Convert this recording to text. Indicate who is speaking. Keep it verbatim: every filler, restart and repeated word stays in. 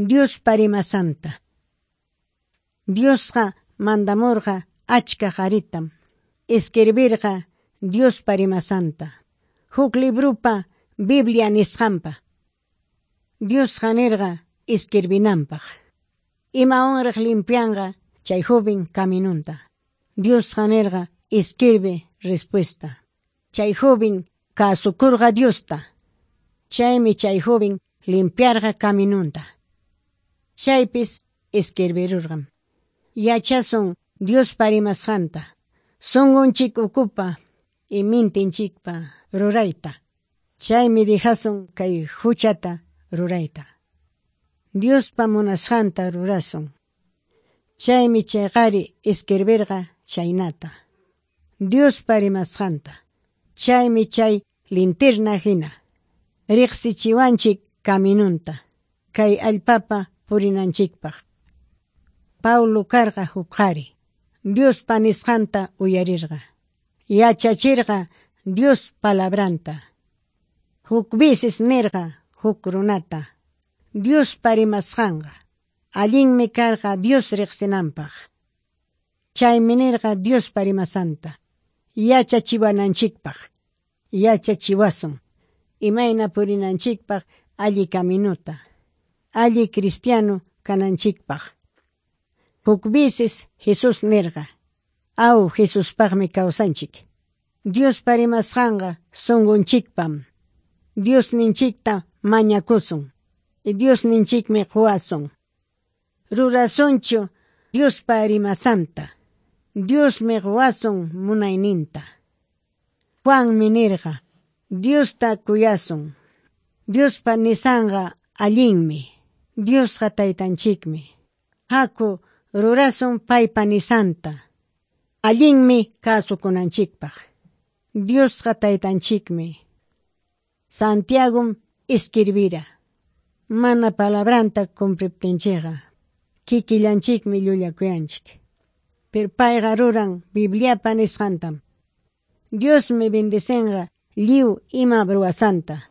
Speaker 1: Diospa rimasqanta. Diosqa mandamurqa achka qaritam. Escribirqa Diospa rimasqanta. Huk librupa Biblia nisqanpa. Diosqa nirqa escribinanpaq. Imawanraq limpianqa chay joven caminunta. Diosqa nirqa escribe respuesta. Chay joven kasukurqa Diosta. Chaymi chay joven limpiarqa caminunta. Chaypis escribirurqam. Yachasun Diospa rimasqanta. Sunqunchik ukupa y mintinchikpa rurayta. Chaymi dejasun kay huchata rurayta. Diospa munasqanta rurasun. Chaymi chay qari escribirqa chaynata. Diospa rimasqanta. Chaymi chay linterna hina. Riqsichiwanchik caminunta. Kay allpapa purinanchikpaq. Paulo karqa huk qhari. Diospa nisqanta uyarirqa. Yachachirqa Dios palabranta. Huk veces nirqa huk runata. Diospa rimasqanqa. Allinmi karqa Dios riqsinanpaq. Chaymi nirqa Diospa rimasqanta. Yachachiwananchikpaq. Yachachiwasun. Imayna purinanchikpaq alli caminuta. Alli cristiano kananchikpaq. Huk veces Jesús nirqa. Aw Jesuspaqmi kawsanchik. Diospa rimasqanqa sunqunchikpam. Diosninchikta mañakusun. Diosninchikmi quwasun. Rurasunchu Diospa rimasqanta. Diosmi quwasun munayninta. Juanmi nirqa. Diosta kuyasun. Diospa nisqanqa allinmi. Diosqa taytanchikmi. Haku rurasun paypa nisqanta. Allinmi kasukunanchikpaq. Diosqa taytanchikmi. Santiagom escribira. Mana palabranta cumpliptinchikqa. Kikillanchikmi llullakuyanchik. Pero payqa ruran Bibliapa nisqantam. Diosmi bendicenqa lliw ima ruwasqanta.